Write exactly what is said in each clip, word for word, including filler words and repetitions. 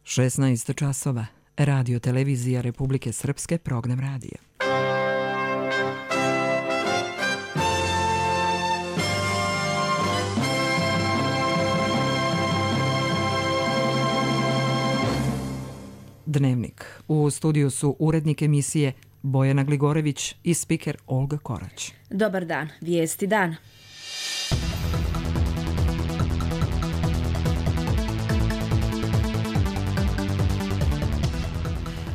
šesnaest časova. Radio televizija Republike Srpske, program radija. Dnevnik. U studiju su urednik emisije Bojana Gligorević i spiker Olga Korać. Dobar dan, vijesti dana.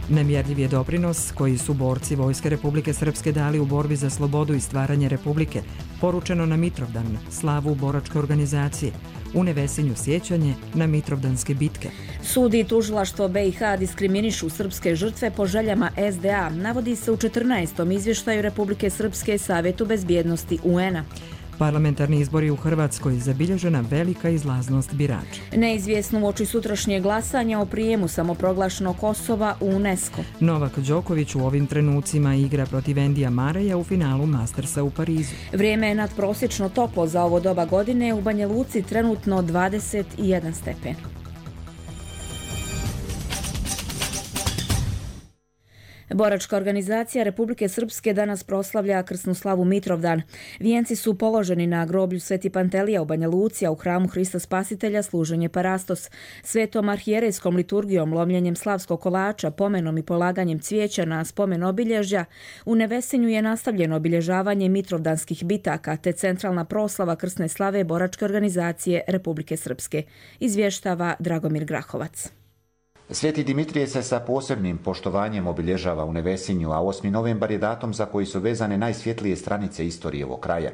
Nemjerljiv je doprinos koji su borci Vojske Republike Srpske dali u borbi za slobodu i stvaranje Republike, poručeno na Mitrovdan, slavu boračke organizacije, u Nevesinju sjećanje na Mitrovdanske bitke. Sud i tužilaštvo B i H diskriminišu srpske žrtve po željama S D A, navodi se u četrnaestom izvještaju Republike Srpske Savjetu bezbjednosti U N-a. Parlamentarni izbori u Hrvatskoj, zabilježena velika izlaznost birača. Neizvjesno uoči sutrašnje glasanja o prijemu samoproglašenog Kosova u UNESCO. Novak Đoković u ovim trenucima igra protiv Endija Mareja u finalu Mastersa u Parizu. Vrijeme je nadprosječno toplo za ovo doba godine, u Banja Luci trenutno dvadeset jedan stepen. Boračka organizacija Republike Srpske danas proslavlja krsnu slavu Mitrovdan. Vijenci su položeni na groblju Sveti Pantelija u Banja Luci, a u hramu Hrista Spasitelja služenje Parastos. Svetom arhijerejskom liturgijom, lomljenjem slavskog kolača, pomenom i polaganjem cvijeća na spomen obilježja, u Nevesinju je nastavljeno obilježavanje mitrovdanskih bitaka te centralna proslava krsne slave Boračke organizacije Republike Srpske, izvještava Dragomir Grahovac. Sveti Dimitrije se sa posebnim poštovanjem obilježava u Nevesinju, a osmi novembar je datum za koji su vezane najsvjetlije stranice istorije ovog kraja.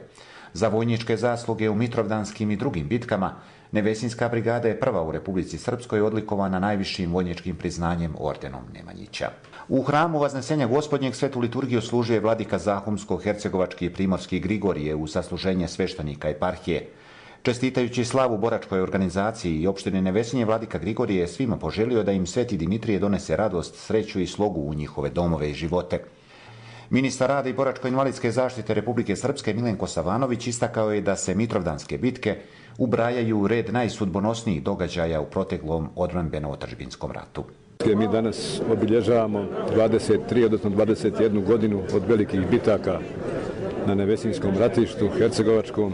Za vojničke zasluge u mitrovdanskim i drugim bitkama, Nevesinska brigada je prva u Republici Srpskoj odlikovana najvišim vojničkim priznanjem ordenom Nemanjića. U hramu Vaznesenja Gospodnjeg svetu liturgiju služuje vladika Zahumsko-hercegovački i primorski Grigorije u sasluženje sveštenika eparhije. Čestitajući slavu boračkoj organizaciji i opštine Nevesinje, vladika Grigorije je svima poželio da im Sveti Dimitrije donese radost, sreću i slogu u njihove domove i živote. Ministar rada i boračko-invalidske zaštite Republike Srpske Milenko Savanović istakao je da se mitrovdanske bitke ubrajaju u red najsudbonosnijih događaja u proteklom odbrambeno-otadžbinskom ratu. Mi danas obilježavamo dvadeset tri, odnosno dvadeset jednu godinu od velikih bitaka na Nevesinskom ratištu, Hercegovačkom,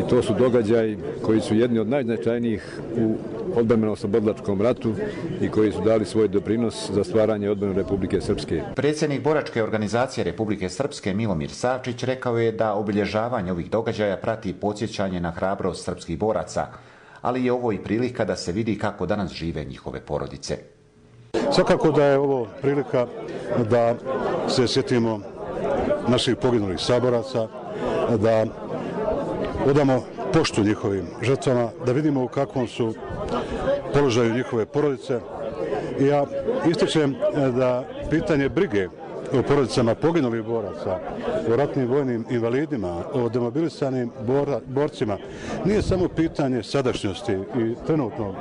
i to su događaji koji su jedni od najznačajnijih u odbrambeno-oslobodilačkom ratu i koji su dali svoj doprinos za stvaranje odbrane Republike Srpske. Predsjednik Boračke organizacije Republike Srpske Milomir Savčić rekao je da obilježavanje ovih događaja prati podsjećanje na hrabrost srpskih boraca, ali je ovo i prilika da se vidi kako danas žive njihove porodice. Svakako da je ovo prilika da se sjetimo naših poginulih saboraca, da odamo poštu njihovim žrtvama, da vidimo u kakvom su položaju njihove porodice. I ja ističem da pitanje brige o porodicama poginulih boraca, o ratnim vojnim invalidima, o demobilisanim bora, borcima nije samo pitanje sadašnjosti i trenutnog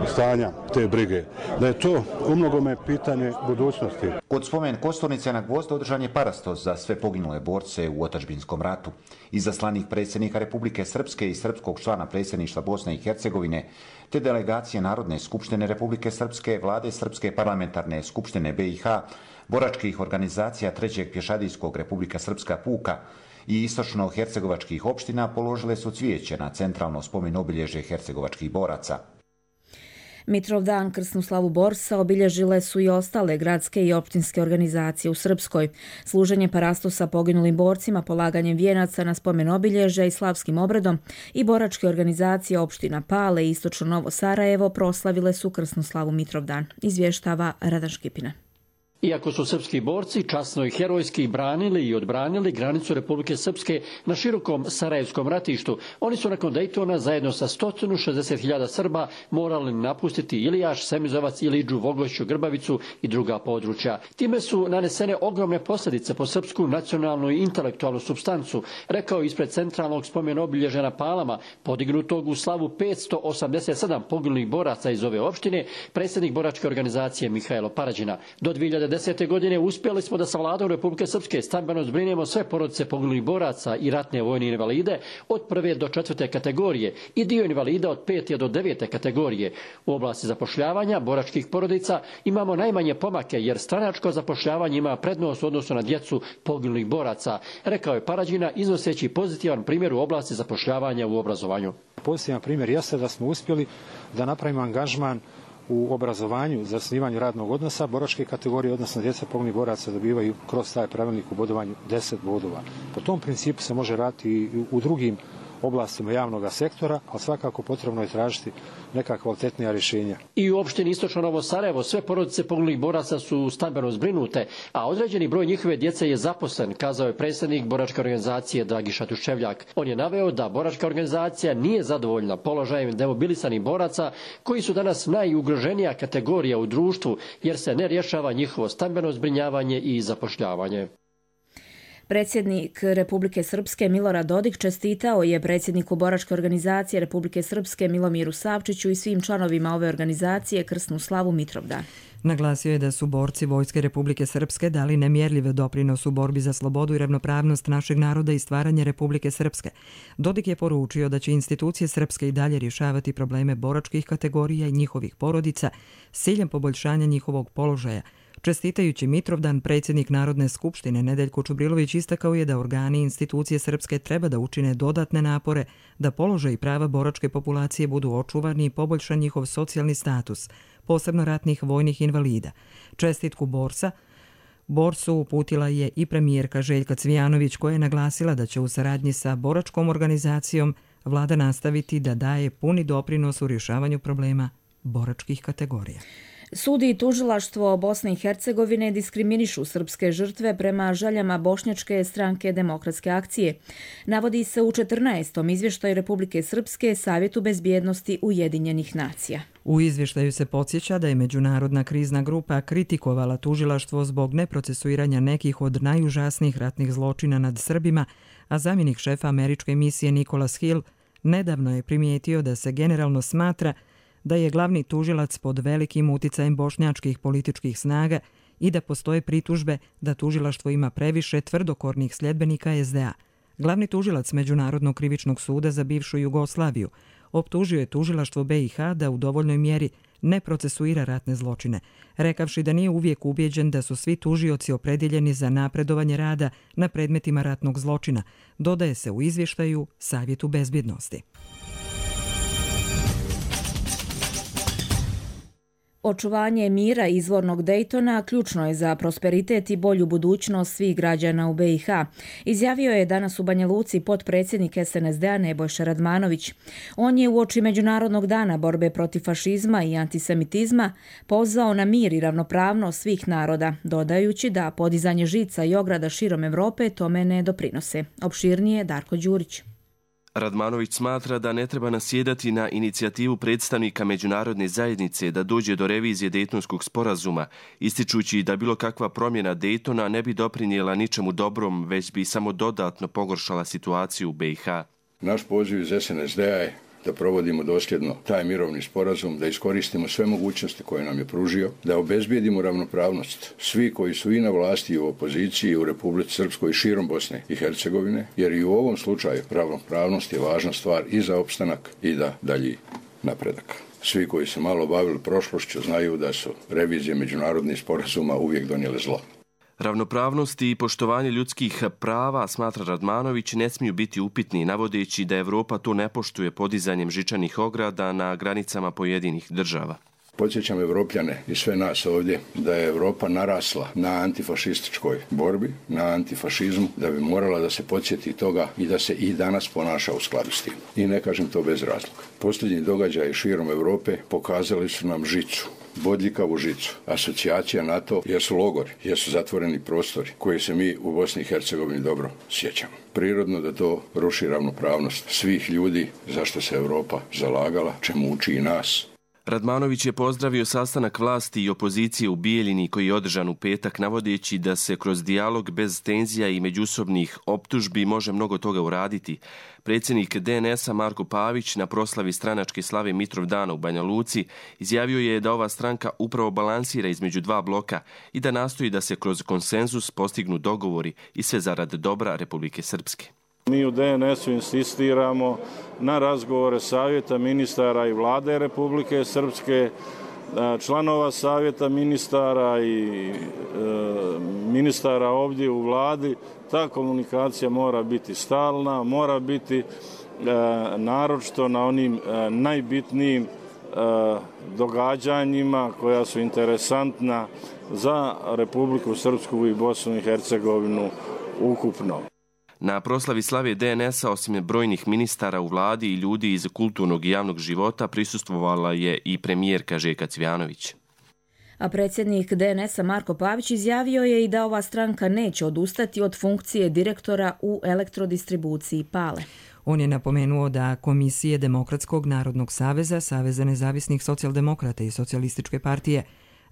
stanja te brige, da je to umnogome pitanje budućnosti. Kod spomen kosturnice na Gvozdu održan je parastos za sve poginule borce u otadžbinskom ratu. Izaslanik predsjednika Republike Srpske i srpskog člana predsjedništva Bosne i Hercegovine, te delegacije Narodne skupštine Republike Srpske, vlade Srpske parlamentarne skupštine B i H, boračkih organizacija trećeg pješadijskog Republika Srpska puka i istočno-hercegovačkih opština položile su cvijeće na centralno spomen obilježje hercegovačkih boraca. Mitrovdan, krsnu slavu borca, obilježile su i ostale gradske i općinske organizacije u Srpskoj. Služenje parastosa poginulim borcima, polaganjem vijenaca na spomen obilježja i slavskim obredom i boračke organizacije opština Pale i istočno Novo Sarajevo proslavile su krsnu slavu Mitrovdan, izvještava Radan Škipina. Iako su srpski borci časno i herojski branili i odbranili granicu Republike Srpske na širokom Sarajevskom ratištu, oni su nakon Dejtona zajedno sa sto šezdeset hiljada Srba morali napustiti Ilijaš, Semizovac, Ilidžu, Vogošću, Grbavicu i druga područja. Time su nanesene ogromne posljedice po srpsku nacionalnu i intelektualnu supstancu, rekao ispred centralnog spomen obilježja na Palama, podignutog u slavu petsto osamdeset sedam poginulih boraca iz ove opštine, predsjednik boračke organizacije Mihajlo Parađina. Do dvije hiljade devedesete. godine uspjeli smo da sa vladom Republike Srpske stambeno zbrinemo sve porodice poginulih boraca i ratne vojne invalide od prve do četvrte kategorije i dio invalida od pete do devete kategorije. U oblasti zapošljavanja boračkih porodica imamo najmanje pomake jer stranačko zapošljavanje ima prednost u odnosu na djecu poginulih boraca, rekao je Parađina iznoseći pozitivan primjer u oblasti zapošljavanja u obrazovanju. Pozitivan primjer jeste da smo uspjeli da napravimo angažman u obrazovanju za zasnivanje radnog odnosa. Boračke kategorije, odnosno djeca poginulih boraca, dobivaju kroz taj pravilnik u bodovanju deset bodova. Po tom principu se može raditi i u drugim oblastima javnog sektora, ali svakako potrebno je tražiti neka kvalitetnija rješenja. I u opštini Istočno Novo Sarajevo sve porodice poginulih boraca su stambeno zbrinute, a određeni broj njihove djece je zaposlen, kazao je predsjednik boračke organizacije Dragiša Tuščevljak. On je naveo da boračka organizacija nije zadovoljna položajem demobilisanih boraca koji su danas najugroženija kategorija u društvu jer se ne rješava njihovo stambeno zbrinjavanje i zapošljavanje. Predsjednik Republike Srpske Milorad Dodik čestitao je predsjedniku Boračke organizacije Republike Srpske Milomiru Savčiću i svim članovima ove organizacije krsnu slavu Mitrovdan. Naglasio je da su borci Vojske Republike Srpske dali nemjerljiv doprinos u borbi za slobodu i ravnopravnost našeg naroda i stvaranje Republike Srpske. Dodik je poručio da će institucije Srpske i dalje rješavati probleme boračkih kategorija i njihovih porodica s ciljem poboljšanja njihovog položaja. Čestitajući Mitrovdan, predsjednik Narodne skupštine Nedeljko Čubrilović istakao je da organi i institucije Srpske treba da učine dodatne napore da položaj i prava boračke populacije budu očuvani i poboljšan njihov socijalni status, posebno ratnih vojnih invalida. Čestitku borca Borcu uputila je i premijerka Željka Cvijanović koja je naglasila da će u saradnji sa boračkom organizacijom vlada nastaviti da daje puni doprinos u rješavanju problema boračkih kategorija. Sudi i tužilaštvo Bosne i Hercegovine diskriminišu srpske žrtve prema željama Bošnjačke stranke Demokratske akcije. Navodi se u četrnaestom izvještaju Republike Srpske Savjetu bezbjednosti Ujedinjenih nacija. U izvještaju se podsjeća da je Međunarodna krizna grupa kritikovala tužilaštvo zbog neprocesuiranja nekih od najužasnijih ratnih zločina nad Srbima, a zamjenik šefa američke misije Nicholas Hill nedavno je primijetio da se generalno smatra da je glavni tužilac pod velikim uticajem bošnjačkih političkih snaga i da postoje pritužbe da tužilaštvo ima previše tvrdokornih sljedbenika es de a. Glavni tužilac Međunarodnog krivičnog suda za bivšu Jugoslaviju optužio je tužilaštvo be i ha da u dovoljnoj mjeri ne procesuira ratne zločine, rekavši da nije uvijek ubijeđen da su svi tužioci opredjeljeni za napredovanje rada na predmetima ratnog zločina, dodaje se u izvještaju Savjetu bezbjednosti. Očuvanje mira izvornog Dejtona ključno je za prosperitet i bolju budućnost svih građana u be i ha, izjavio je danas u Banja Luci potpredsjednik es en es de a Nebojša Radmanović. On je uoči Međunarodnog dana borbe protiv fašizma i antisemitizma pozvao na mir i ravnopravnost svih naroda, dodajući da podizanje žica i ograda širom Evrope tome ne doprinose. Opširnije Darko Đurić. Radmanović smatra da ne treba nasjedati na inicijativu predstavnika međunarodne zajednice da dođe do revizije Dejtonskog sporazuma, ističući da bilo kakva promjena Dejtona ne bi doprinijela ničemu dobrom, već bi samo dodatno pogoršala situaciju u be i ha. Naš poziv iz es en es de a je da provodimo dosljedno taj mirovni sporazum, da iskoristimo sve mogućnosti koje nam je pružio, da obezbijedimo ravnopravnost svi koji su i na vlasti i u opoziciji u Republici Srpskoj i širom Bosne i Hercegovine, jer i u ovom slučaju ravnopravnost je važna stvar i za opstanak i da dalji napredak. Svi koji se malo bavili prošlošću znaju da su revizije međunarodnih sporazuma uvijek donijele zlo. Ravnopravnost i poštovanje ljudskih prava, smatra Radmanović, ne smiju biti upitni, navodeći da Evropa to ne poštuje podizanjem žičanih ograda na granicama pojedinih država. Podsjećam Evropljane i sve nas ovdje da je Evropa narasla na antifašističkoj borbi, na antifašizmu, da bi morala da se podsjeti toga i da se i danas ponaša u skladu s tim. I ne kažem to bez razloga. Posljednji događaji širom Evrope pokazali su nam žicu, bodljikavu žicu. Asocijacija NATO jesu logori, jesu zatvoreni prostori koji se mi u Bosni i Hercegovini dobro sjećamo. Prirodno da to ruši ravnopravnost svih ljudi zašto se Evropa zalagala, čemu uči i nas. Radmanović je pozdravio sastanak vlasti i opozicije u Bijeljini koji je održan u petak, navodeći da se kroz dijalog bez tenzija i međusobnih optužbi može mnogo toga uraditi. Predsjednik D N S-a Marko Pavić na proslavi stranačke slave Mitrovdana u Banja Luci izjavio je da ova stranka upravo balansira između dva bloka i da nastoji da se kroz konsenzus postignu dogovori i sve zarad dobra Republike Srpske. Mi u D N S-u insistiramo na razgovore Savjeta ministara i Vlade Republike Srpske, članova Savjeta ministara i e, ministara ovdje u Vladi. Ta komunikacija mora biti stalna, mora biti e, naročito na onim e, najbitnijim e, događanjima koja su interesantna za Republiku Srpsku i Bosnu i Hercegovinu ukupno. Na proslavi slave D N S-a osim brojnih ministara u vladi i ljudi iz kulturnog i javnog života prisustvovala je i premijerka Željka Cvijanović. A predsjednik D N S-a Marko Pavić izjavio je i da ova stranka neće odustati od funkcije direktora u elektrodistribuciji Pale. On je napomenuo da komisije Demokratskog narodnog saveza, Saveza nezavisnih socijaldemokrata i Socijalističke partije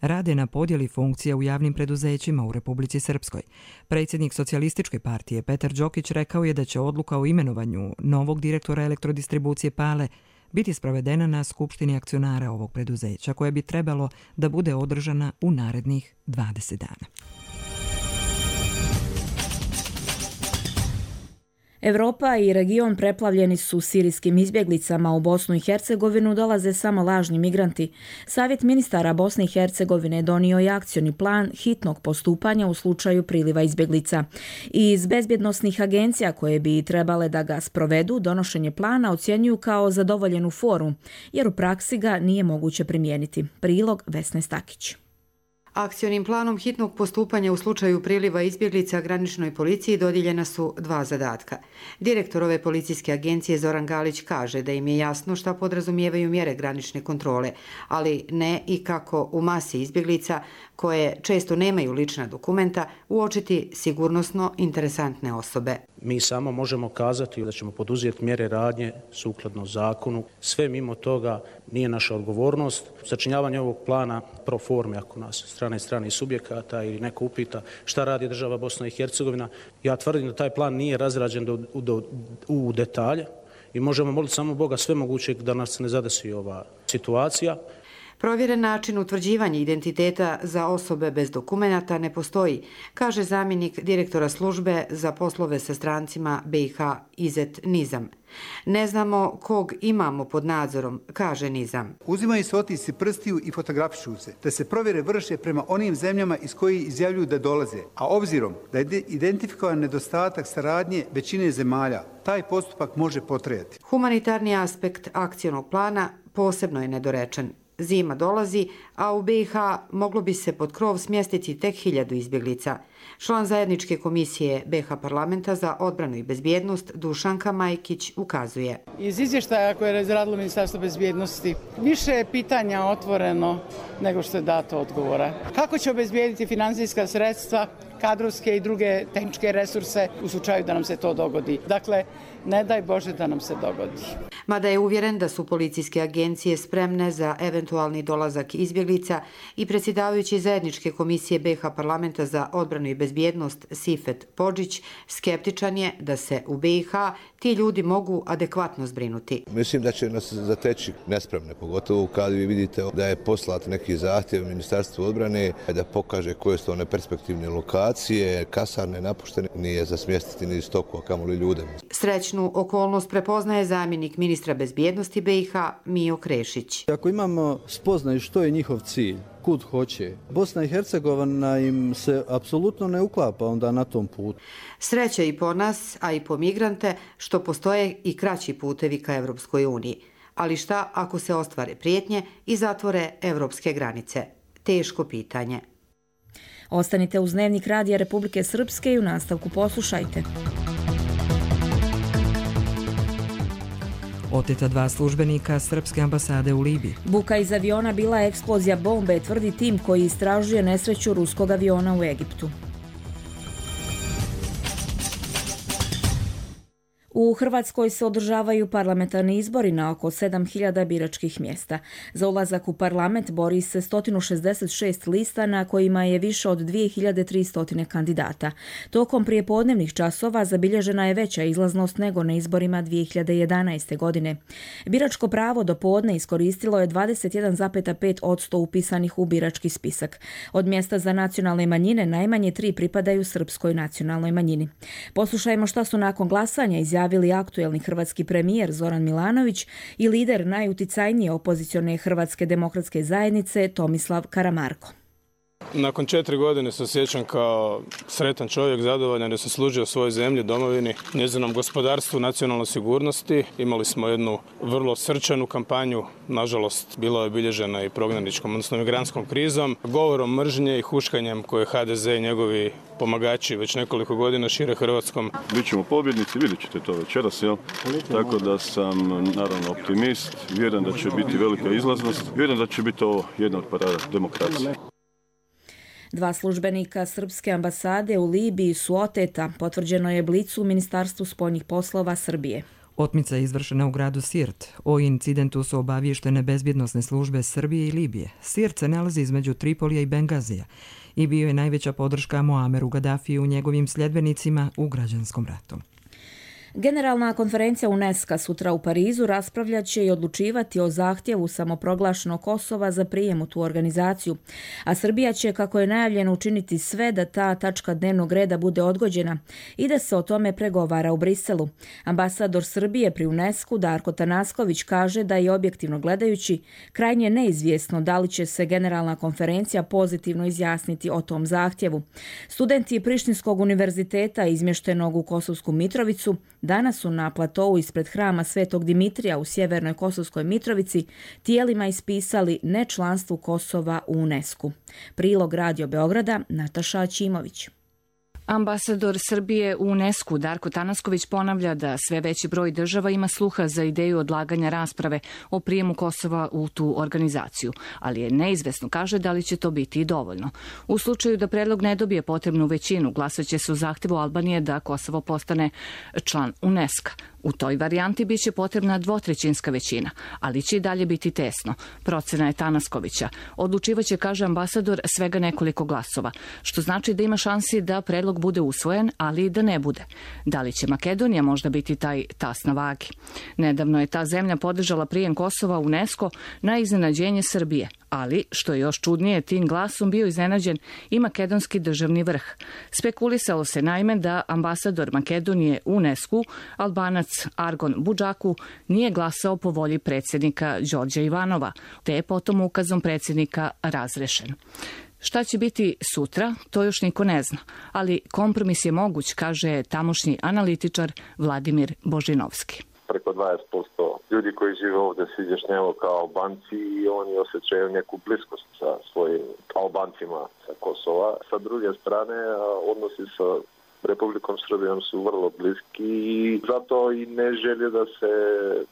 rade na podjeli funkcija u javnim preduzećima u Republici Srpskoj. Predsjednik Socijalističke partije Petar Đokić rekao je da će odluka o imenovanju novog direktora elektrodistribucije Pale biti sprovedena na Skupštini akcionara ovog preduzeća, koje bi trebalo da bude održana u narednih dvadeset dana. Evropa i region preplavljeni su sirijskim izbjeglicama. U Bosnu i Hercegovinu dolaze samo lažni migranti. Savjet ministara Bosne i Hercegovine donio je akcioni plan hitnog postupanja u slučaju priliva izbjeglica. Iz bezbjednosnih agencija koje bi trebale da ga sprovedu, donošenje plana ocjenjuju kao zadovoljenu foru, jer u praksi ga nije moguće primijeniti. Prilog Vesne Stakić. Akcionim planom hitnog postupanja u slučaju priliva izbjeglica graničnoj policiji dodijeljena su dva zadatka. Direktor ove policijske agencije Zoran Galić kaže da im je jasno šta podrazumijevaju mjere granične kontrole, ali ne i kako u masi izbjeglica, koje često nemaju lična dokumenta, uočiti sigurnosno interesantne osobe. Mi samo možemo kazati da ćemo poduzeti mjere radnje sukladno zakonu. Sve mimo toga nije naša odgovornost. Sačinjavanje ovog plana pro forme, ako nas strane strane subjekata ili neko upita šta radi država Bosna i Hercegovina, ja tvrdim da taj plan nije razrađen do, do, u detalje i možemo moliti samo Boga sve moguće da nas ne zadesi ova situacija. Provjeren način utvrđivanja identiteta za osobe bez dokumenata ne postoji, kaže zamjenik direktora službe za poslove sa strancima B i H Izet Nizam. Ne znamo kog imamo pod nadzorom, kaže Nizam. Uzimaju se otisci prstiju i fotografišu se, te se provjere vrše prema onim zemljama iz kojih izjavljuju da dolaze, a obzirom da je identifikovan nedostatak saradnje većine zemalja, taj postupak može potrajati. Humanitarni aspekt akcionog plana posebno je nedorečen. Zima dolazi, a u B i H moglo bi se pod krov smjestiti tek hiljadu izbjeglica. Član zajedničke komisije B i H parlamenta za odbranu i bezbjednost Dušanka Majkić ukazuje. Iz izvještaja koje je razradilo Ministarstvo bezbjednosti više je pitanja otvoreno nego što je dato odgovora. Kako će obezbijediti financijska sredstva, kadrovske i druge tehničke resurse u slučaju da nam se to dogodi? Dakle, ne daj Bože da nam se dogodi. Mada je uvjeren da su policijske agencije spremne za eventualni dolazak izbjeglica i predsjedavajući zajedničke komisije B i H parlamenta za odbranu i bezbjednost Sifet Podžić skeptičan je da se u B i H ti ljudi mogu adekvatno zbrinuti. Mislim da će nas zateći nespremne, pogotovo kad vi vidite da je poslat neki zahtjev Ministarstvu odbrane da pokaže koje su one perspektivne lokacije, kasarne napuštene, nije za smjestiti ni stoku, a kamoli ljude. Srećnu okolnost prepoznaje zamjenik ministra bezbjednosti B i H Mijo Krešić. Ako imamo spoznaju što je njihov cilj, kud hoće, Bosna i Hercegovina im se apsolutno ne uklapa onda na tom putu. Sreća i po nas, a i po migrante, što postoje i kraći putevi ka Evropskoj uniji. Ali šta ako se ostvare prijetnje i zatvore evropske granice? Teško pitanje. Ostanite uz Dnevnik Radija Republike Srpske i u nastavku poslušajte. Oteta dva službenika srpske ambasade u Libiji. Buka iz aviona bila je eksplozija bombe, tvrdi tim koji istražuje nesreću ruskog aviona u Egiptu. U Hrvatskoj se održavaju parlamentarni izbori na oko sedam hiljada biračkih mjesta. Za ulazak u parlament bori se sto šezdeset šest lista na kojima je više od dvije hiljade tristo kandidata. Tokom prijepodnevnih časova zabilježena je veća izlaznost nego na izborima dvije hiljade jedanaeste. godine. Biračko pravo do podne iskoristilo je dvadeset jedan zarez pet posto upisanih u birački spisak. Od mjesta za nacionalne manjine najmanje tri pripadaju srpskoj nacionalnoj manjini. Poslušajmo šta su nakon glasanja izjavili javili aktuelni hrvatski premijer Zoran Milanović i lider najuticajnije opozicione Hrvatske demokratske zajednice Tomislav Karamarko. Nakon četiri godine se osjećam kao sretan čovjek, zadovoljan jer sam služio svojoj zemlji, domovini, njezinom gospodarstvu, nacionalnoj sigurnosti. Imali smo jednu vrlo srčanu kampanju, nažalost bila je obilježena i prognaničkom, odnosno migrantskom krizom, govorom mržnje i huškanjem koje ha de ze i njegovi pomagači već nekoliko godina šire Hrvatskom. Bićemo pobjednici, vidjet ćete to večeras, jel? Tako da sam naravno optimist, vjerujem da će biti velika izlaznost, vjerujem da će biti ovo jedna od parada demokracije. Dva službenika srpske ambasade u Libiji su oteta, potvrđeno je Blicu u Ministarstvu spoljnih poslova Srbije. Otmica je izvršena u gradu Sirt. O incidentu su obavještene bezbjednosne službe Srbije i Libije. Sirt se nalazi između Tripolija i Bengazija i bio je najveća podrška Muameru Gadafiju u njegovim sljedbenicima u građanskom ratu. Generalna konferencija UNESCO sutra u Parizu raspravljat će i odlučivati o zahtjevu samoproglašenog Kosova za prijem u tu organizaciju, a Srbija će, kako je najavljeno, učiniti sve da ta tačka dnevnog reda bude odgođena i da se o tome pregovara u Briselu. Ambasador Srbije pri UNESCO Darko Tanasković kaže da je objektivno gledajući krajnje neizvjesno da li će se Generalna konferencija pozitivno izjasniti o tom zahtjevu. Studenti Prištinskog univerziteta izmještenog u Kosovsku Mitrovicu danas su na platovu ispred hrama Svetog Dimitrija u sjevernoj Kosovskoj Mitrovici tijelima ispisali nečlanstvu Kosova u UNESCO. Prilog Radio Beograda, Nataša Aćimović. Ambasador Srbije u UNESCO Darko Tanasković ponavlja da sve veći broj država ima sluha za ideju odlaganja rasprave o prijemu Kosova u tu organizaciju, ali je neizvesno, kaže, da li će to biti i dovoljno. U slučaju da predlog ne dobije potrebnu većinu, glasat će se u zahtjevu Albanije da Kosovo postane član UNESCO. U toj varijanti biće potrebna dvotrećinska većina, ali će i dalje biti tesno. Procena je Tanaskovića. Odlučivaće, kaže ambasador, svega nekoliko glasova, što znači da ima šansi da predlog bude usvojen, ali i da ne bude. Da li će Makedonija možda biti taj tas na vagi? Nedavno je ta zemlja podržala prijem Kosova u UNESCO na iznenađenje Srbije, ali, što je još čudnije, tim glasom bio iznenađen i makedonski državni vrh. Spekulisalo se naime da ambasador Makedonije u UNESCO, Albanac Argon Budžaku, nije glasao po volji predsjednika Đorđa Ivanova, te je potom ukazom predsjednika razrešen. Šta će biti sutra, to još niko ne zna, ali kompromis je moguć, kaže tamošnji analitičar Vladimir Božinovski. Preko dvadeset posto ljudi koji žive ovdje se izjašnjavaju kao Albanci i oni osjećaju neku bliskost sa svojim Albancima sa Kosova. Sa druge strane, odnosi sa Republikom Srbijom su vrlo bliski i zato i ne želje da se,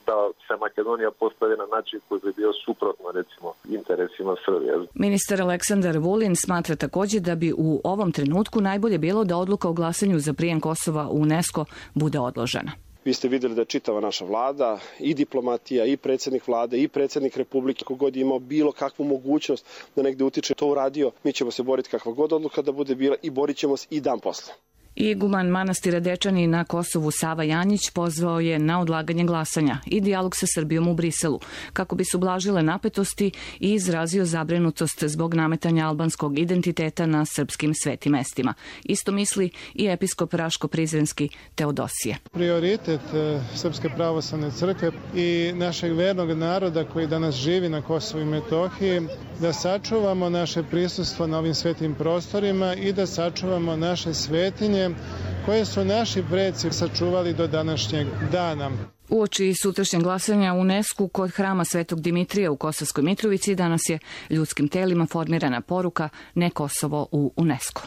da se Makedonija postavi na način koji bi bio suprotno, recimo, interesima Srbije. Ministar Aleksandar Vulin smatra također da bi u ovom trenutku najbolje bilo da odluka o glasanju za prijem Kosova u UNESCO bude odložena. Vi ste vidjeli da je čitava naša vlada, i diplomatija, i predsjednik vlade, i predsjednik Republike, kogod je imao bilo kakvu mogućnost da negdje utiče, to uradio. Mi ćemo se boriti kakva god odluka da bude bila i borit ćemo se i dan posle. Iguman manastira Dečani na Kosovu Sava Janjić pozvao je na odlaganje glasanja i dijalog sa Srbijom u Briselu, kako bi se ublažile napetosti i izrazio zabrinutost zbog nametanja albanskog identiteta na srpskim svetim mestima. Isto misli i episkop Raško-Prizrenski Teodosije. Prioritet Srpske pravoslavne crkve i našeg vernog naroda koji danas živi na Kosovu i Metohiji, da sačuvamo naše prisustvo na ovim svetim prostorima i da sačuvamo naše svetinje koje su naši preci sačuvali do današnjeg dana. Uoči sutrašnjeg glasanja u UNESCO kod hrama Svetog Dimitrija u Kosovskoj Mitrovici danas je ljudskim telima formirana poruka Ne Kosovo u UNESCO.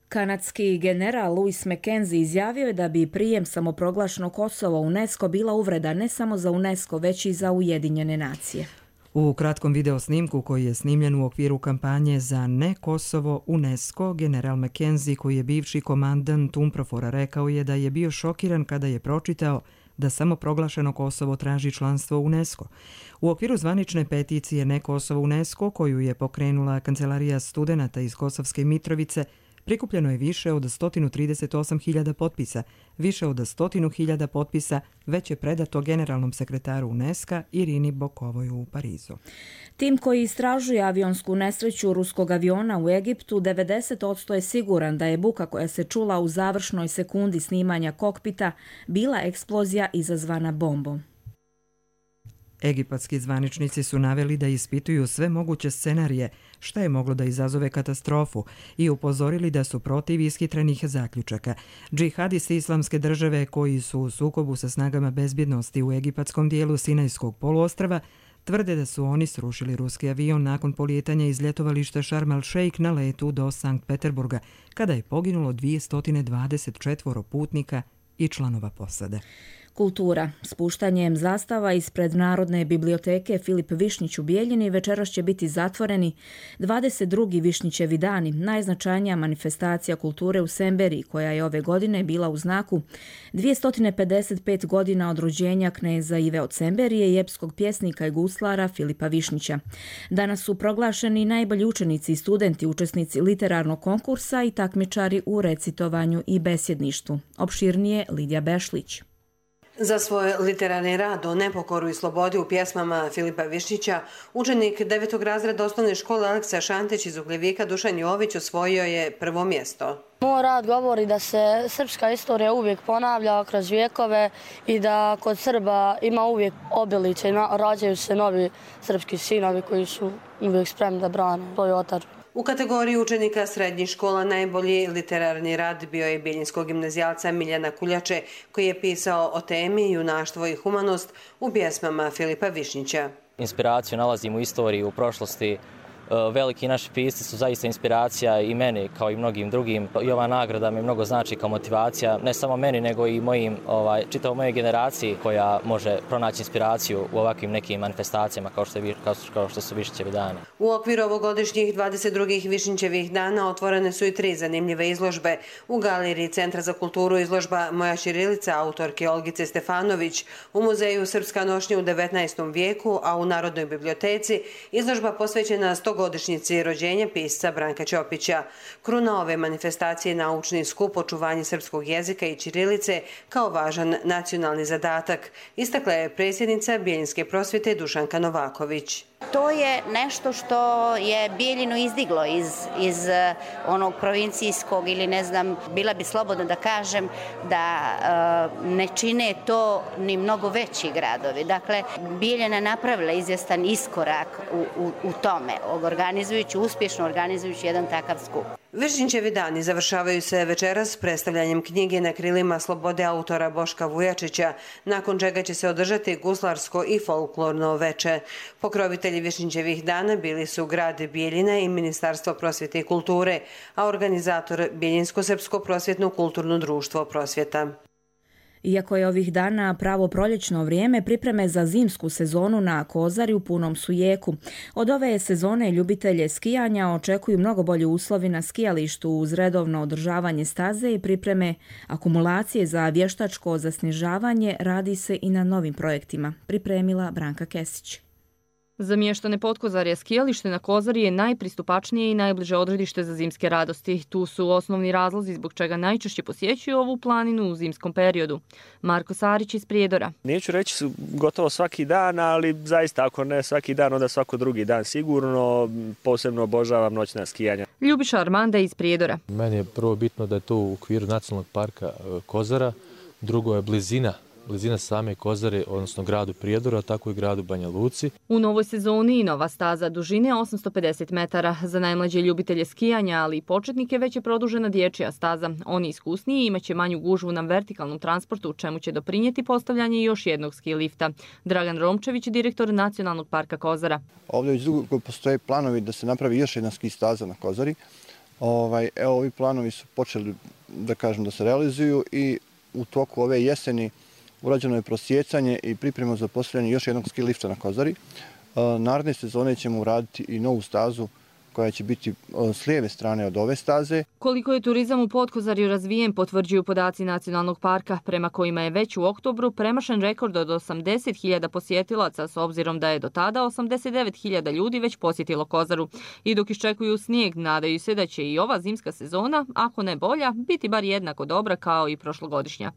Kanadski general Louis McKenzie izjavio je da bi prijem samoproglašenog Kosova u UNESCO bila uvreda ne samo za UNESCO, već i za Ujedinjene nacije. U kratkom video snimku koji je snimljen u okviru kampanje za ne Kosovo UNESCO, general McKenzie, koji je bivši komandant UNPROFOR-a, rekao je da je bio šokiran kada je pročitao da samo proglašeno Kosovo traži članstvo UNESCO. U okviru zvanične peticije Ne Kosovo UNESCO, koju je pokrenula Kancelarija studenata iz Kosovske Mitrovice, prikupljeno je više od sto trideset osam hiljada potpisa. Više od sto hiljada potpisa već je predato generalnom sekretaru UNESCO Irini Bokovoj u Parizu. Tim koji istražuje avionsku nesreću ruskog aviona u Egiptu devedeset posto je siguran da je buka koja se čula u završnoj sekundi snimanja kokpita bila eksplozija izazvana bombom. Egipatski zvaničnici su naveli da ispituju sve moguće scenarije šta je moglo da izazove katastrofu i upozorili da su protiv ishitrenih zaključaka. Džihadisti Islamske države koji su u sukobu sa snagama bezbjednosti u egipatskom dijelu Sinajskog poluostrva tvrde da su oni srušili ruski avion nakon polijetanja iz ljetovališta Sharm el-Sheikh na letu do Sankt Peterburga, kada je poginulo dvjesto dvadeset četiri putnika i članova posade. Kultura. Spuštanjem zastava ispred Narodne biblioteke Filip Višnjić u Bijeljini večeras će biti zatvoreni dvadeset drugi Višnjićevi dani, najznačajnija manifestacija kulture u Semberiji, koja je ove godine bila u znaku dvjesto pedeset pet godina od rođenja kneza Ive od Semberije i epskog pjesnika i guslara Filipa Višnjića. Danas su proglašeni najbolji učenici i studenti, učesnici literarnog konkursa i takmičari u recitovanju i besjedništvu. Opširnije Lidija Bešlić. Za svoj literarni rad o nepokoru i slobodi u pjesmama Filipa Višnjića, učenik devetog razreda osnovne škole Aleksa Šantić iz Ugljevika Dušan Jović osvojio je prvo mjesto. Moj rad govori da se srpska istorija uvijek ponavlja kroz vijekove i da kod Srba ima uvijek obilice i rađaju se novi srpski sinovi koji su uvijek spremni da brane svoj otadžbinu. U kategoriji učenika srednjih škola najbolji literarni rad bio je bijeljinskog gimnazijalca Miljana Kuljače, koji je pisao o temi junaštvo i humanost u pjesmama Filipa Višnjića. Inspiraciju nalazim u istoriji, u prošlosti. Veliki naši pisci su zaista inspiracija i meni kao i mnogim drugim. I ova nagrada mi mnogo znači kao motivacija, ne samo meni nego i mojim, ovaj, čitavo moje generaciji koja može pronaći inspiraciju u ovakvim nekim manifestacijama kao što, je, kao, kao što su Višnjićevi dani. U okviru ovogodišnjih dvadeset drugih Višnjićevih dana otvorene su i tri zanimljive izložbe. U galeriji Centra za kulturu izložba Moja ćirilica autorke Olgice Stefanović, u muzeju Srpska nošnja u devetnaestom vijeku, a u Narodnoj biblioteci izložba posvećena sto godišnjici rođenja pisca Branka Ćopića. Kruna ove manifestacije je naučni skup očuvanje srpskog jezika i ćirilice kao važan nacionalni zadatak, istakla je predsjednica Bijeljinske prosvjete Dušanka Novaković. To je nešto što je Bijeljinu izdiglo iz, iz onog provincijskog ili ne znam, bila bi slobodno da kažem da uh, ne čine to ni mnogo veći gradovi. Dakle, Bijeljina je napravila izvjestan iskorak u, u, u tome, organizujući, uspješno organizujući jedan takav skup. Višnjićevi dani završavaju se večeras predstavljanjem knjige Na krilima slobode autora Boška Vujačića, nakon čega će se održati guslarsko i folklorno veče. Pokrovitelji Višnjićevih dana bili su grad Bijeljina i Ministarstvo prosvjete i kulture, a organizator Bijeljinsko-srpsko prosvjetno kulturno društvo Prosvjeta. Iako je ovih dana pravo proljećno vrijeme, pripreme za zimsku sezonu na Kozari u punom su jeku. Od ove sezone ljubitelje skijanja očekuju mnogo bolji uslovi na skijalištu uz redovno održavanje staze i pripreme akumulacije za vještačko zasnižavanje. Radi se i na novim projektima, pripremila Branka Kesić. Za mještane Potkozarja skijalište na Kozari je najpristupačnije i najbliže odredište za zimske radosti. Tu su osnovni razlozi zbog čega najčešće posjećuju ovu planinu u zimskom periodu. Marko Sarić iz Prijedora. Neću reći su gotovo svaki dan, ali zaista ako ne svaki dan, onda svako drugi dan sigurno. Posebno obožavam noćna skijanja. Ljubiša Armanda iz Prijedora. Meni je prvo bitno da je to u okviru nacionalnog parka Kozara, drugo je blizina. blizina same Kozare, odnosno gradu Prijedora, tako i gradu Banja Luci. U novoj sezoni i nova staza dužine osamsto pedeset metara. Za najmlađe ljubitelje skijanja, ali i početnike već je produžena dječja staza. Oni iskusniji imaće manju gužvu na vertikalnom transportu, čemu će doprinijeti postavljanje još jednog ski lifta. Dragan Romčević, direktor Nacionalnog parka Kozara. Ovdje već dugo postoje planovi da se napravi još jedna ski staza na Kozari. Ovaj, evo, ovi planovi su počeli da kažem da se realizuju i u toku ove jeseni urađeno je prosjecanje i priprema za postavljanje još jednog ski lifta na Kozari. Naredne sezone ćemo uraditi i novu stazu koja će biti s lijeve strane od ove staze. Koliko je turizam u Potkozarju razvijen potvrđuju podaci Nacionalnog parka, prema kojima je već u oktobru premašen rekord od osamdeset hiljada posjetilaca, s obzirom da je do tada osamdeset devet hiljada ljudi već posjetilo Kozaru. I dok iščekuju snijeg, nadaju se da će i ova zimska sezona, ako ne bolja, biti bar jednako dobra kao i prošlogodišnja.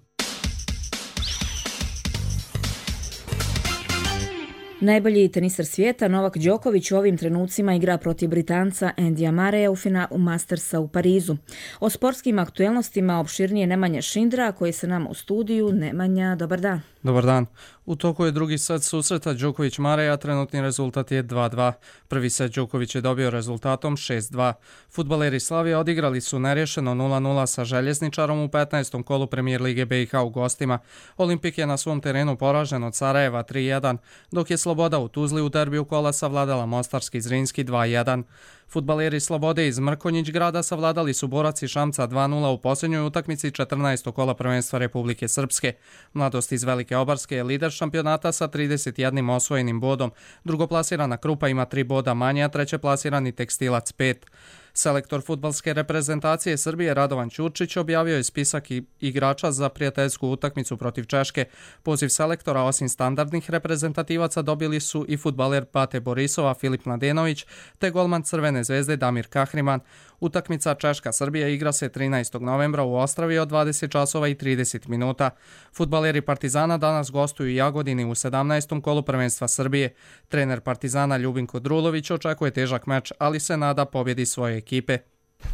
Najbolji tenisar svijeta Novak Đoković u ovim trenucima igra protiv Britanca Andyja Murraya u finalu Mastersa u Parizu. O sportskim aktuelnostima opširnije Nemanja Šindra, koji se nam u studiju. Nemanja, dobar dan. Dobar dan. U toku je drugi set susreta Đoković-Murray, a trenutni rezultat je dva dva. Prvi set Đoković je dobio rezultatom šest dva. Fudbaleri Slavije odigrali su nerješeno nula nula sa Željezničarom u petnaestom kolu Premijer Lige B i H u gostima. Olimpik je na svom terenu poražen od Sarajeva tri jedan, dok je Sloboda u Tuzli u derbiju kola savladala Mostarski Zrinski dva jedan. Fudbaleri Slobode iz Mrkonjić grada savladali su Borac iz Šamca dva nula u posljednjoj utakmici četrnaestog kola prvenstva Republike Srpske. Mladost iz Velike Obarske je lider šampionata sa trideset jednim osvojenim bodom. Drugoplasirana Krupa ima tri boda manje, a trećeplasirani Tekstilac pet. Selektor fudbalske reprezentacije Srbije Radovan Ćurčić objavio je spisak igrača za prijateljsku utakmicu protiv Češke. Poziv selektora osim standardnih reprezentativaca dobili su i fudbaler Bate Borisova Filip Mladenović te golman Crvene zvezde Damir Kahriman. Utakmica Češka-Srbija igra se trinaestog novembra u Ostravi od dvadeset časova i trideset minuta. Fudbaleri Partizana danas gostuju u Jagodini u sedamnaestom kolu prvenstva Srbije. Trener Partizana Ljubinko Drulović očekuje težak meč, ali se nada pobjedi svoje ekipe.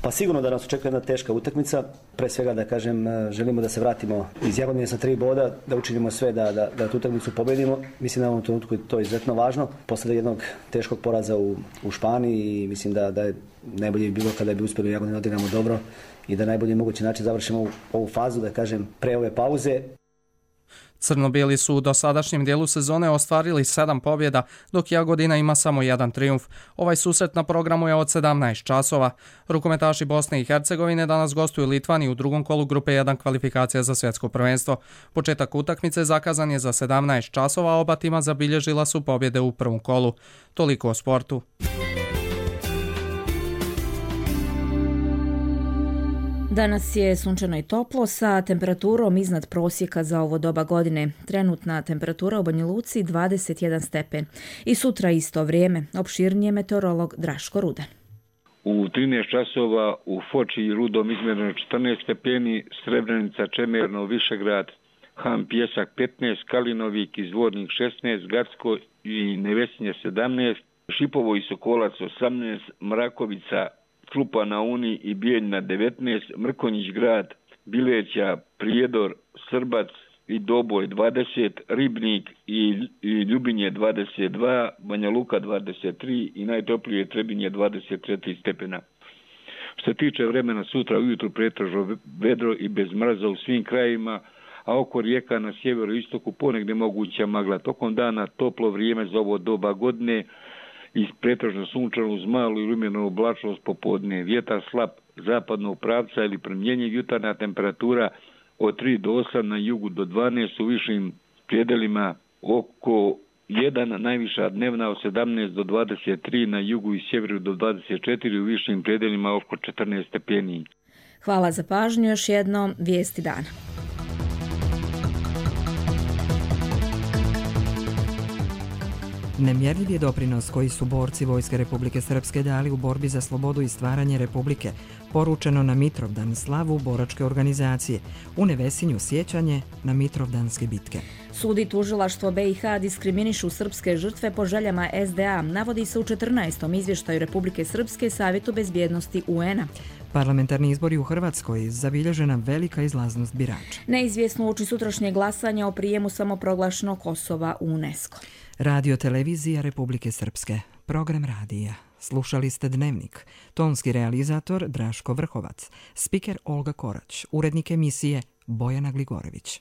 Pa sigurno da nas očekuje jedna teška utakmica. Pre svega da kažem, želimo da se vratimo iz Jagodine sa tri boda, da učinimo sve da, da, da tu utakmicu pobedimo. Mislim da u ovom trenutku je to izuzetno važno. Posle jednog teškog poraza u, u Španiji i mislim da, da je najbolje bi bilo kada bi uspjeli u Jagodini da odigramo dobro i da najbolji mogući način završimo ovu, ovu fazu, da kažem, pre ove pauze. Crno-bijeli su u dosadašnjem dijelu sezone ostvarili sedam pobjeda, dok Jagodina ima samo jedan trijumf. Ovaj susret na programu je od sedamnaest časova. Rukometaši Bosne i Hercegovine danas gostuju Litvani u drugom kolu grupe jedan kvalifikacija za svjetsko prvenstvo. Početak utakmice zakazan je za sedamnaest časova, a oba tima zabilježila su pobjede u prvom kolu. Toliko o sportu. Danas je sunčano i toplo sa temperaturom iznad prosjeka za ovo doba godine. Trenutna temperatura u Banja Luci dvadeset jedan stepen. I sutra isto vrijeme. Opširnije meteorolog Draško Rudan. U trinaest časova u Foči i Rudom izmjereno četrnaest stepeni, Srebrenica, Čemerno, Višegrad, Han, Pjesak petnaest, Kalinovik, Izvornik šesnaest, Gacko i Nevesinje sedamnaest, Šipovo i Sokolac osamnaest, Mrakovica, Krupa na Uni i Bijeljna devetnaest, Mrkonjić grad, Bileća, Prijedor, Srbac i Doboj dvadeset, Ribnik i, i Ljubinje dvadeset dva, Banja Luka dvadeset tri i najtoplije Trebinje dvadeset četiri stepena. Što se tiče vremena, sutra ujutru pretežno vedro i bez mraza u svim krajevima, a oko rijeka na sjeveru i istoku ponegdje moguća magla. Tokom dana toplo vrijeme za ovo doba godine i pretežno sunčano uz malu i lumenu oblačnost popodne. Vjetar slab zapadnog pravca ili promjenjiv, jutarnja temperatura od tri do osam, na jugu do dvanaest, u višim predelima oko jedan, najviša dnevna od sedamnaest do dvadeset tri, na jugu i sjeveru do dvadeset četiri, u višim predelima oko četrnaest stepeni. Hvala za pažnju, još jednom vijesti dana. Nemjerljiv je doprinos koji su borci Vojske Republike Srpske dali u borbi za slobodu i stvaranje Republike, poručeno na Mitrovdan slavu boračke organizacije, u Nevesinju sjećanje na Mitrovdanske bitke. Sud i tužilaštvo B i H diskriminišu srpske žrtve po željama S D A, navodi se u četrnaestom izvještaju Republike Srpske Savjetu bezbjednosti U N-a. Parlamentarni izbori u Hrvatskoj, zabilježena velika izlaznost birača. Neizvjesno uoči sutrašnje glasanja o prijemu samoproglašenog Kosova u UNESCO. Radio televizija Republike Srpske, program radija. Slušali ste Dnevnik, tonski realizator Draško Vrhovac, spiker Olga Korać, urednik emisije Bojana Gligorević.